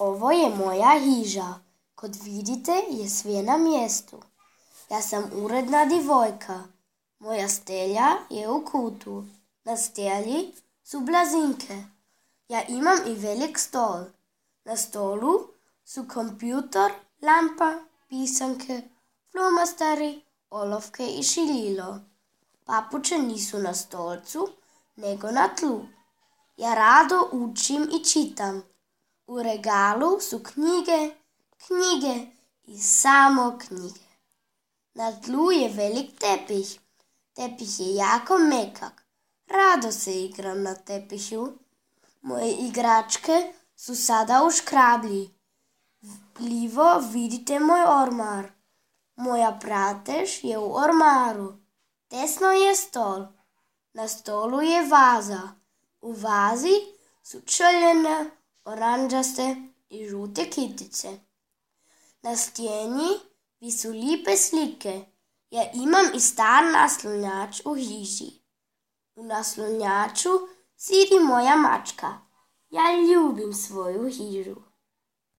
Ovo je moja hiža. Kod vidite je sve na mjestu. Ja sam uredna divojka. Moja stelja je u kutu. Na stelji su blazinke. Ja imam i velik stol. Na stolu su kompjutor, lampa, pisanke, flomasteri, olovke i šiljilo. Papuče nisu na stolcu, nego na tlu. Ja rado učim i čitam. U regalu su knjige i samo knjige. Na tlu je velik tepih. Tepih je jako mekak. Rado se igram na tepihu. Moje igračke su sada u škrablji. Livo vidite moj ormar. Moja pratež je u ormaru. Desno je stol. Na stolu je vaza. U vazi su črljene, oranđaste i žute kitice. Na stijeni visu lipe slike. Ja imam i star naslonjač u hiži. U naslonjaču sidi moja mačka. Ja ljubim svoju hižu.